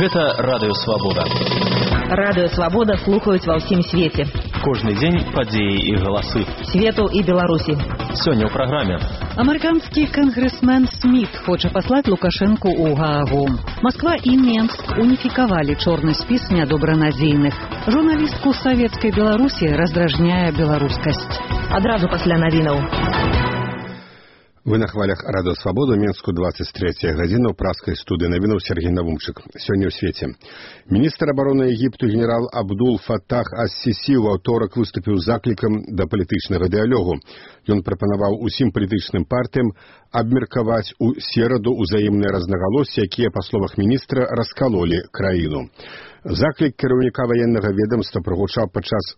Гэта Радыё Свабода. Радыё Свабода слухаюць ва ўсім свеце. Кожны дзень падзеі і галасы. Свету і Беларусі. Сёння ў праграме. Амерыканскі кангрэсмен Сміт хоча паслаць Лукашэнку ў Гаагу. Масква і Менск уніфікавалі чорны спіс нядобранадзейных. Журналістку савецкай Беларусі раздражняе беларускасць. Адразу пасля навінаў. Вы на хвалях Радыё Свабода, Менску 23 гадзіна ў праскай студыі навінаў Сергей Навумчык. Сёння ў свеце. Міністр абароны Егіпту генерал Абдул Фатах ас-Сісі ў аўторак выступіў з заклікам да палітычнага дыялогу. Ён прапанаваў усім палітычным партыям абмеркаваць у сераду ўзаемныя рознагалоссі, якія, па словах міністра, раскалолі краіну. Заклік кіраўніка ваеннага ведамства прагучаў падчас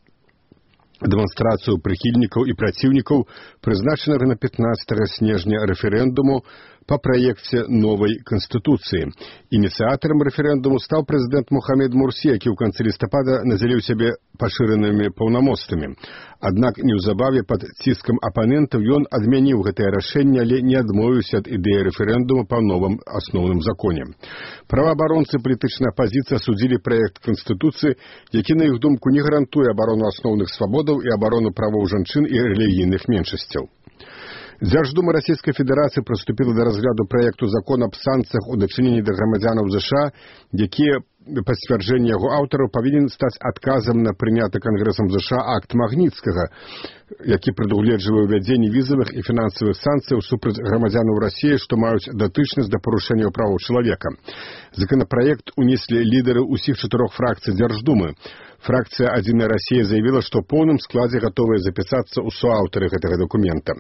дэманстрацыю прыхільнікаў і праціўнікаў прызначанага на 15 снежня рэферэндуму па праекце новай канстытуцыі. Ініцыятарам рэферэндуму стаў прэзідэнт Мухаммед Мурсі, які ў канцы лістапада надзяліў сябе пашыранымі паўнамоцтвамі. Аднак неўзабаве пад ціскам апанентаў ён адмяніў гэтае рашэнне, але не адмовіўся ад ідэі рэферэндуму па новым асноўным законе. Праваабаронцы палітычнай апазіцыі асудзілі праект канстытуцыі, які, на іх думку, не гарантуе абарону асноўных свабодаў і абарону правоў жанчын і рэлігійных меншасцяў. Дзярждума Расійскай Федэрацыі прыступіла да разгляду праекту закона аб санкцыях у дачыненні да грамадзянаў ЗША, якія, па сцвярджэнні яго аўтараў, павінен стаць адказам на прыняты Кангрэсам ЗША акт Магніцкага, які прадугледжвае ўвядзенне візавых і фінансавых санкцыяў супраць грамадзянаў Расіі, што маюць датычнасць да парушэнняў правоў чалавека. Законапраект унеслі лідары ўсіх 4 фракцый Дзярждумы. Фракцыя «Адзіная Расія» заявіла, што ў поўным складзе гатовыя запісацца ў суаўтары гэтага дакумента.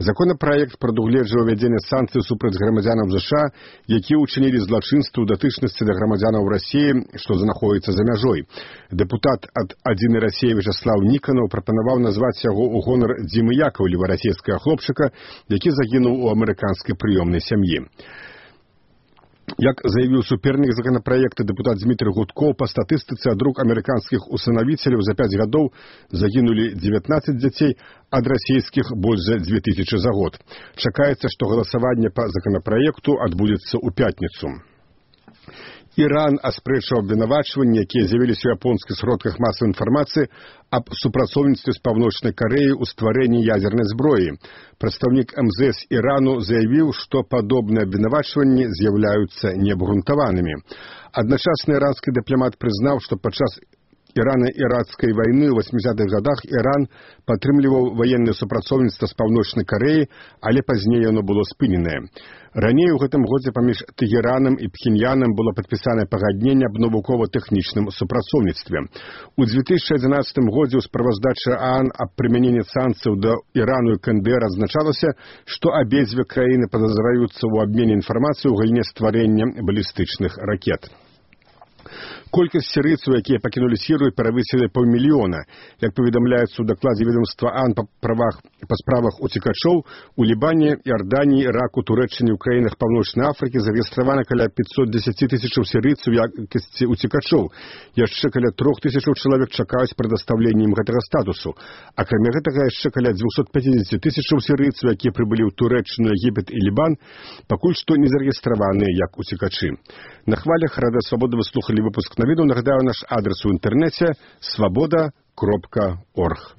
Законапраект прадугледжвае ўвядзенне санкцый супраць грамадзянаў ЗША, якія ўчынілі злачынства ў датычнасці да грамадзянаў Расіі, што знаходзіцца за мяжой. Дэпутат ад «Адзінай Расіі» Вячаслаў Ніканаў прапанаваў назваць яго ў гонар Дзімы Яковлева, расійскага хлопчыка, які загінуў у амерыканскай прыёмнай сям'і. Як заявіў супернік законапраекта дэпутат Дмітрый Гудкоў, па статыстыцы ад рук амерыканскіх усынавіцеляў за 5 гадоў загінулі 19 дзяцей, ад расійскіх больш за 2000 за год. Чакаецца, што галасаванне па законапраекту адбудзецца ў пятніцу. Іран аспрэчыў абвінавачванні, якія з'явіліся ў японскіх сродках масавай інфармацыі аб супрацоўніцтве з Паўночнай Карэяй у стварэнні ядзернай зброі. Прадстаўнік МЗС Ірану заявіў, што падобныя абвінавачванні з'яўляюцца неабгрунтаванымі. Адначасна іранскі дыпламат прызнаў, што падчас Ірана-іракскай вайны ў 80-х гадах Іран падтрымліваў ваеннае супрацоўніцтва з Паўночнай Карэяй, але пазней яно было спыненае. Раней у гэтым годзе паміж Тэгеранам і Пхеньянам было падпісанае пагадненне аб навукова-тэхнічным супрацоўніцтве. У 2011 годзе ў справаздачы ААН аб прымяненні санкцыяў да Ірану і КНДР адзначалася, што абедзве краіны падазраюцца ў абмене інфармацыяй у галіне стварэння балістычных ракет. Колькасць сірыйцаў, якія пакінулі Сірыю, перавысілі паўмільёна. Як паведамляецца ў дакладзе ведомства ААН па справах уцекачоў, у Лібане, Іорданіі, Іраку, Турэччыне, ў краінах Паўночнай Афрыкі зарэгістравана каля 510 тысячаў сірыйцаў у якасці уцекачоў. Яшчэ каля 3000 чалавек чакаюць прадастаўлення ім гэтага статусу. Акрамя гэтага, яшчэ каля 250 тысячаў сірыйцаў, якія прыбылі ў Турэччыну, Егіпет і Лібан, пакуль што не зарэгістраваныя як уцекачы. На хвалях Радыё Свабода вы слухалі выпуск навіну. Нагадаю, наш адрес у інтэрнэце свабода.орг.